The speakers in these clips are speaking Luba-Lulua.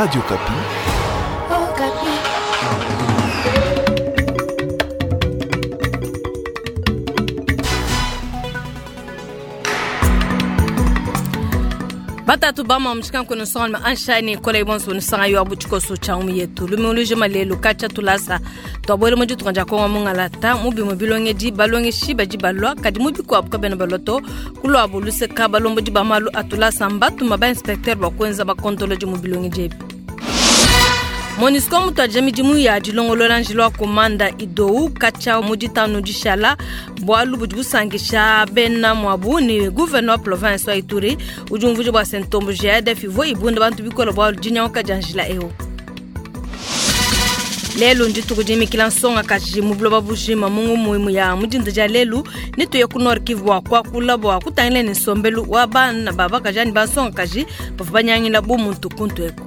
Radio Okapi. Batatu bama mushikanku nusonga anshani kola ibonso nusanga yo abu tshikoso tsha umu yetu lumiulu lelu katsha tulasa twabwele mu ditunga dia kongo mungalata mu bimue bilongedi balongeshi badi balua kadi mu bikuabu kabena balua to kuluabu luseka balombodi ba malu a tulasa mbatuma ba inspecteur bua kuenza bakontolodi mu bilongedi ebi. MONUSCO mutuadija midimu ya dilongolola njila wa komanda idou katsha mu ditanu dishala bualu budi busankisha bena muabu ne gouverneur wa province wa Ituri udi umvuija bua se ntomboji ya ADF ivua ibunda bantu bikole bualu dinyanguka dia njila eu. Lelu ndituku dimikila nsongakaji mu buloba bujima mu ngumuimu ya mudinda dia lelu nituye ku Nord Kivu bua kuakula bua kutangila ne nsombelu wa bana ba bakaji anyi bansongakaji bavua banyangila bu muntu kuntu eku.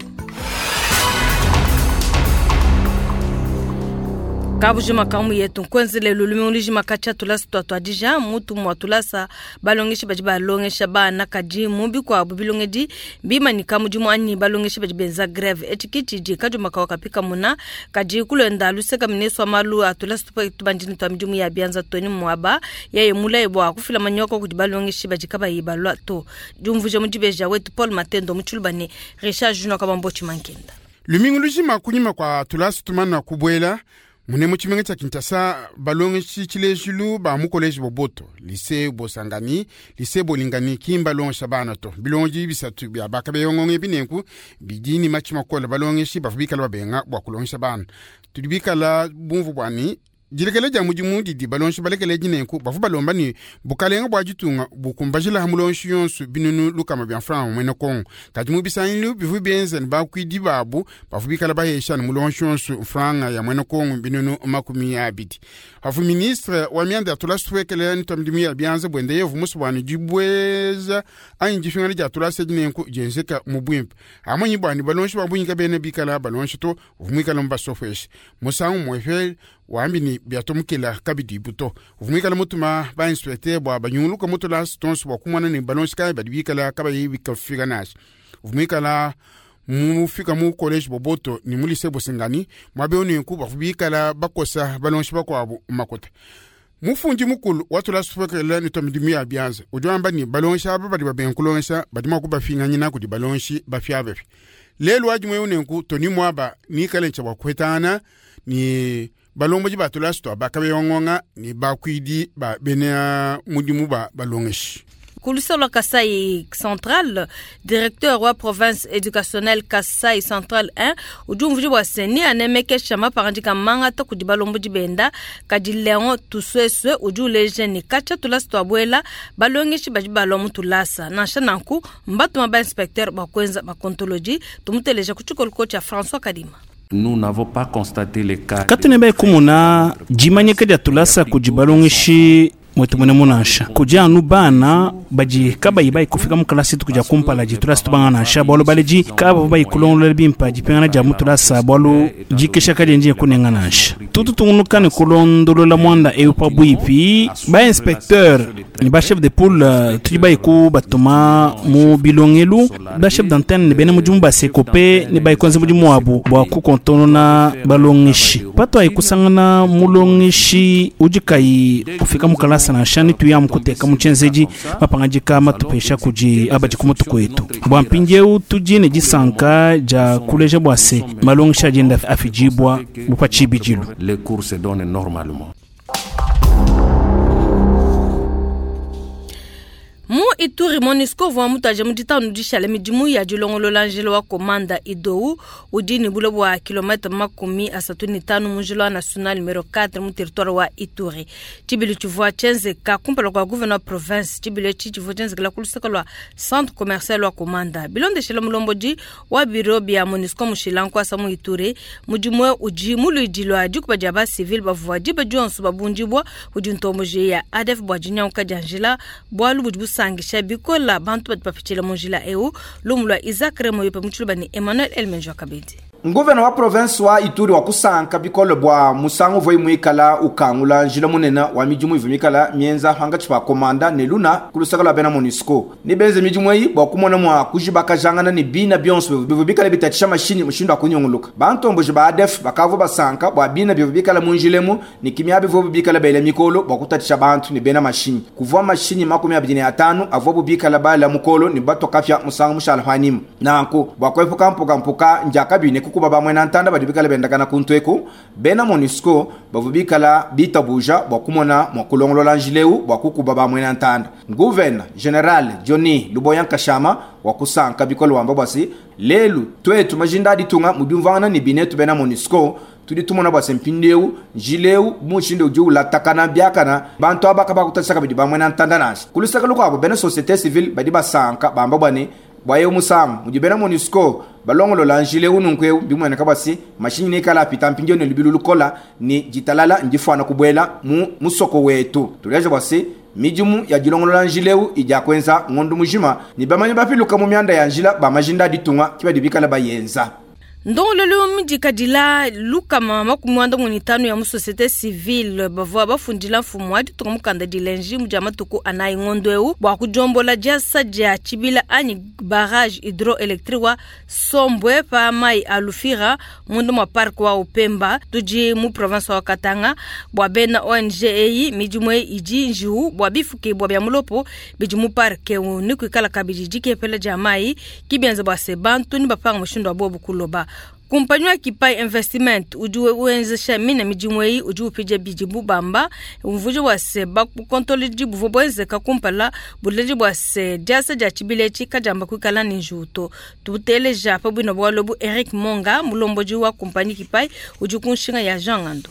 Kabujima kamu yetu nkuenze lelu lumingu katshia tulasa tuatuadija mutu mua tulasa balongeshi badi balongesha bana kadi mu bikuabu bilongedi bimanyika mudimu anyi balongeshi badi benza greve etshi kitshidi kadiuma kawa kapika muna kadi kulenda luseka mineso wa malu a tulasa tubandini twa midimu ya bianza toni muaba yeye mulaye bua kufila manyoko kudi balongeshi badi kabayi balua to diumvuija mu dibeja wetu Paul Matendo mu tshiluba ne Richard Junior Kabambo Tshimankenda. Lumingu lujima kunyima kwa tulasa tumana kubuela mune mu tshimenga tsha Kinshasa balongeshi tshilejilu ba mu collège Boboto, lycée Bosangani, lycée Bolingani ki mbalongesha bana to. Bilongi bisatu bia bakabeyongonge binenku bidi ni matshi makola balongeshi bavua bikala babenga bua kulongesha bana. Tudi bikala bumvu bwani dilekele dia mudimu didi balongeshi balekele dinenku bavua balomba ni bukalenga bua ditunga bukumbajila mulongeshi yonso binunu lukama bia franc mwene Kongo. Kadi mu bisangilu bivua bienza ne bakuidi babu bavua bikala bahesha ne mulongeshi yonso franga ya mwene Kongo binunu makumi abidi. Havu ministre wa mianda ya tulasa tuwekele ni twa midimu ya bianza bwende yevu musu bwani dibweza anyi difingana dia tulasa dinenku dienzeka mu bwimpe. Amanyi bwani balongeshi ba bungi kabena bikala balongeshi to uvumwikala mu basofweshi. Musangu mwefe wambi ni biatomukela kabidi buto. Uvumwikala mutuma ba inspecteur bua banyunguluka mutulasa tonso bua kumona ne balongeshi kayi badi bikala kabayi bikafika nashi. Uvumwikala mufika mu collège Boboto ni mu lycée Bosangani mwabe onenku bavua bikala bakosa balongeshi bakuabu makota. Mufundi mukulu wa tulasa tuwekele ni twa midimu ya bianza udi wamba ni balongeshi aba badi babenga kulongesha badi mua kubafinganyina kudi balongeshi bafiabafi. Lelu wadi mwe onenku toni mwaba nikale ntsha bua kuhetana ni balomboji ba tulasa twa bakabeyongonga ni bakuidi ba bena mudimu ba balongeshi. Kulusolo Kasai Central, directeur wa province éducationnelle Kasai Central 1, udi umvuija bua se ni anemekesha mapangadika mangata kudi balombodi benda, kadi Leon Tusweswe udi uleja ni katshia tulasa tuabuela balongeshi badi balua mu tulasa. Nansha nanku mbatuma ba inspecteur bua kuenza bakontoloji, tumuteleja ku tshikoliko tshia François Kadima. Nous n'avons pas constaté les cas. Katune bai kumuna jimanyika dia tulasa kudi balongeshi mwetu mwene munansha kudi anu bana badi kabayi bayi kufika mu kalasi tukuja kumpala di tulasa tubanga nansha bualu baleji kaba bayi kulongolola bimpa dipingana dia mu tulasa bualu dikesha kadi ndiye kunenga nansha tutu tungunuka ne kulondolola mwanda ewu pa bwipi ba inspecteur ni ba chef de poule tudi bayi ku batuma mu bilongelu ba chef d'antenne ne bena mudimu ba sekope ne bayi kuenza mudimu wabu bua kukontonona balongeshi pato ayi kusangana mulongeshi udi kayi kufika mu kalasa nansha ni tuyamu kuteka mu tshienzedi mapangadika matupesha kudi abadi ku mutu kwetu. Bua mpindieu tudi ne disanka dia kuleja bua se malongesha adienda afidibua bupa tshibidilu. Les cours se donnent normalement. Mu Ituri MONUSCO vua mutaje mu ditanu dishala midimu ya dilongolola njila wa komanda Idou udi ne bule bua kilomètre 35 mu njila wa national numero 4 mu territoire wa Ituri. Tshibilu tshivua tshienzeka kumpala kua gouverneur province. Tshibilu etshi tshivua tshienzekela ku luseke lua centre commercial wa komanda. Bilondeshela mulombodi wa bureau bia MONUSCO mushila nkuasa mu Ituri, mudimu eu udi muluidi lua dikuba dia ba civil bavua diba dionso babundibua kudi ntomboji ya ADF bua dinyanguka dia njila, bualu budi busangisha bikola bantu badi bapitshila mu njila eu. Lumu lua Isaac Remoyo pe mu tshiluba ne Emmanuel Elmenjo Kabedi. Nguvena wa province wa Ituri wakusanka bikole bua musangu uvua muikala ukangula njila munene wa midimu ivua mikala mienza pankatshi pa Komanda ne Luna ku luseke lua bena MONUSCO. Ne benze midimu eyi bua kumona mua kujibakajangana ne bina bionso bivua bikale bitatshisha mashinyi mushindu wa kunyunguluka. Bantomboji ba ADF bakavua basanka bua bina bivua bikala mu njila emu ne kimia bivua bikala bela mikolo bua kutatshisha bantu ne bena mashinyi. Kuvua mashinyi 25 avuabu bikala bala mukolo ne batua kapia musangu mushala panyima. Nanku bua kuepuka mpukampuka ndiakabi ne kukuba bamwena ntanda badi bikala bendakana kuntu eku, bena MONUSCO bavua bikala bitabuja bua kumona mua kulongolola njila eu bua kukuba bamwena ntanda. Gouverneur General Johnny Luboya Nkashama wakusanka bikole wamba bua se lelu twetu majinda a ditunga mu diumvuangana ne binetu bena MONUSCO tudi tumona bua se mpindieu njila eu mushindu udi ulatakana biakana bantu aba kabakutatshisa kabidi bamwena ntanda nansha. Ku luseke lukuabu bena société civile badi basanka bamba bua ne bua eu musangu mudi bena MONUSCO balongolola njila eu nunku eu bimueneka bua se mashinyi nekala apita mpindieu ne lubilu lukola ne ditalala ndifuana kubuela mu musoko wetu. Tuleja bua se midimu ya dilongolola njila eu idi akuenza ngondo mujima ne bamanyi bapiluka mu mianda ya njila ba majinda a ditunga ki badi bikala bayenza. Ndongololo midikadila lukama 95 ya mu société civile bavua bafundila mfumu wa ditunga mukanda dilenji mu dia matuku anayi ngondo eu bua kudiombola diasa dia tshibila anyi barrage hydroélectrique wa Sombwe pa mai a Lufira munda mua parc wa Upemba tudi mu province wa Katanga bua bena ONG eyi midimu eyi idi njiwu bua bifukibua bia mulopo bidi mu parc eu ni kuikala kabidi dikepela dia mai kibienza bua se bantu ni bapanga mushindu wa bobu kuloba. Kumpanyi wa Kipai Investment udi wenzesha mina midimu eyi udi upija bidi bubamba umvuja bua se bakontoledi buvua buenzeka kumpala buleji bua se diasa dia tshibila etshi kadiamba kuikala ne njiwu to. Tuteleja pa bwina bualu bu Eric Monga mulombodi wa kumpanyi Kipai udi ku nshinga ya Jean Ngando.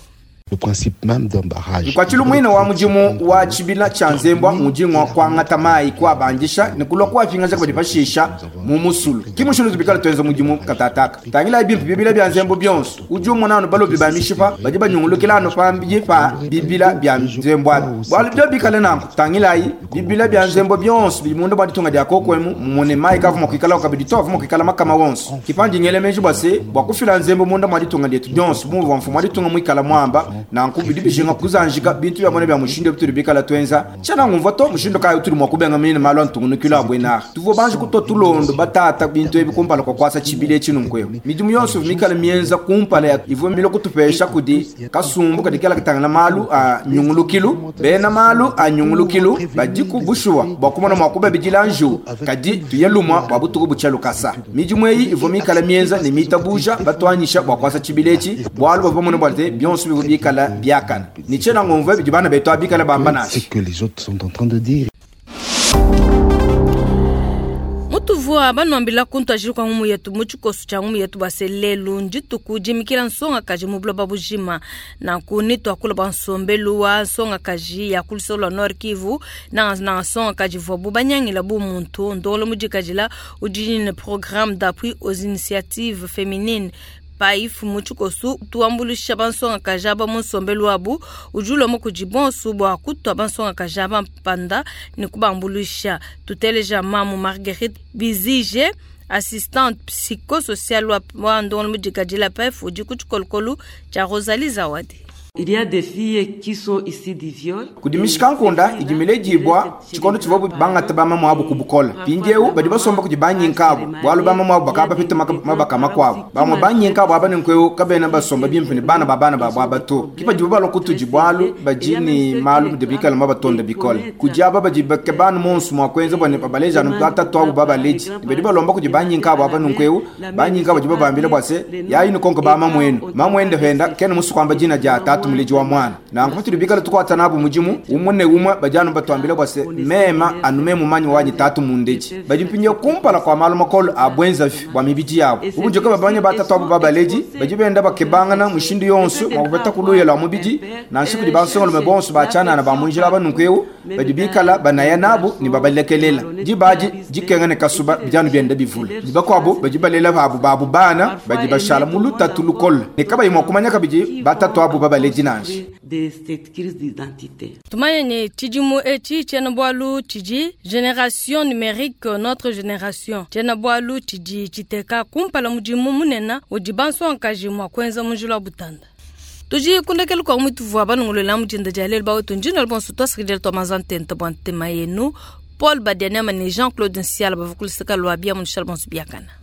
Le principe même d'un barrage. Nkwatshilo mwina wa mudimu wa tshibila tshia nzembwa mudimu wa kuangata mayi kuabandisha ne kulua kuapingaja kabidi pashisha mu musulu. Ki mushindu tubikala tuenza mudimu katataka. Tangila bimpe bibila bia nzembo bionso. Udi umona anu balobi ba mishipa badi banyungulukila anu pambidi pa bibila bia nzembo abi. Bualu bio bikale nanku. Tangilayi bibila bia nzembo bionso bidi munda bua ditunga dia kokwemu mumone mayi kavua kuikala kabidi to avua kuikala makama wonso. Kipandi ngele meji bua se bua kufila nzembo munda mua ditunga dietu dionso bumuvua mfumu wa ditunga muikala muamba. Nanku bidi bijinga kuzanjika bintu bia mona bia mushindu bitudi bikala tuenza. Tshiena ngumvua to mushindu kayi utudi mua kubenga mine malu a ntungunukilo a buena. Tuvua banji kutua tulondo batata bintu ebi kumpala kwa kuasa tshibila etshi nunku eu. Midimu yonso ivua mikala mienza kumpala ya ivua milo kutupesha kudi kasumbu kadi kela katangila malu a nyungulukilu. Bena malu a nyungulukilu badiku bushuwa bua kumona mua kubabidila njiwu kadi tuye lumwa bua butuku butshia lukasa. Midimu eyi ivua mikala mienza ne mitabuja batuanyisha bua kuasa tshibila etshi bualu bavua bamone bua te bionso bivua bikala biakana. Ni tshiena ngumvua bidi bana betu abikala bamba nansha. C'est que les autres sont en train de dire. Mutuvua banuambila kuntu ajili kwa ngumu yetu mu tshikoso tshia ngumu yetu bua se lelu ndituku dimikila nsongakaji mu buloba bujima. Nanku ni tuakula bua nsombelu wa nsongakaji ya ku luseke lua Nord Kivu na na nsongakaji vuabu banyangila bu muntu ndongolo mudikadila udi ne programme d'appui aux initiatives féminines PAIF mu tshikoso tuambuluisha bansongakaji aba mu nsombelu wabu udi ulomba kudi bonso bua kutua bansongakaji aba mpanda ne kubambuluisha. Tuteleja mamu Marguerite Bizige assistante psychosociale wa ndongolo mudikadila PAIF udi ku tshikolokolo tshia Rosalie Zawadi. Il y a des filles qui sont issues du viol. Kudimishika nkunda idi miledibwa tshikondo tshivua bangata bamamu abu kubukola. Mpindieu badi basomba kudi banyinka abu bualu bamamu abu bakaba bapeta mabaka makuabu. Bamue banyinka abu aba ne nkweu kabena basomba bimpe ne bana ba bana babu aba to. Ki badibu balua kutudi bualu badi ne malu mudi bikale mabatonda bikole. Kudi aba badi bakebanu monso mua kuenza bua ne babaleja anu batatu abu babaledi. Badi balomba kudi banyinka abu aba nunkweu banyinka badi babambila bua se yayi nukonka ba mamuenu. Mamuende penda kena musu kuamba dina dia tatu muleji wa mwana. Nanku patudi bikale tukuata nabu mudimu umwe ne umwe badi anu batuambila bua se mema anu memu manyi wanyi tatu mundeji. Badi mpindieu kumpala kua malu makolo a buenzavi bua mibidi yabu. Ubunjoka babanya batatu abu babaledi badi benda bakebangana mushindu yonso mua kupeta kuluya lua mubidi nansha kudi bansongalume bonso batshianana ba munjila aba nunku eu badi bikala banaya nabu ne babalekelela. Dibadi dikenga ne kasuba bidi anu bienda bivula. Ne bakuabu badi balela babu babu bana badi bashala mu lutatu lukole ne kabayi mua kumanya kabidi batatu abu babaledi nansha. de cette crise d'identité. Tumanye ne tshidimu etshi tshiena-bualu tshidi Generation numerique notre generation. Tshiena-bualu tshidi tshiteka kumpala mudimu munene udi bansongakaji mua kuenza mu njila wa butanda. Tudi ku ndekelu kua mutuvua banongolola mu dinda dia lelu bawetu ndino bonso tuasakidila tua manza ntenta bua ntema yenu. Paul Badianema ne Jean-Claude Nsiala bavua ku luseka lua bia mu bonso biakana.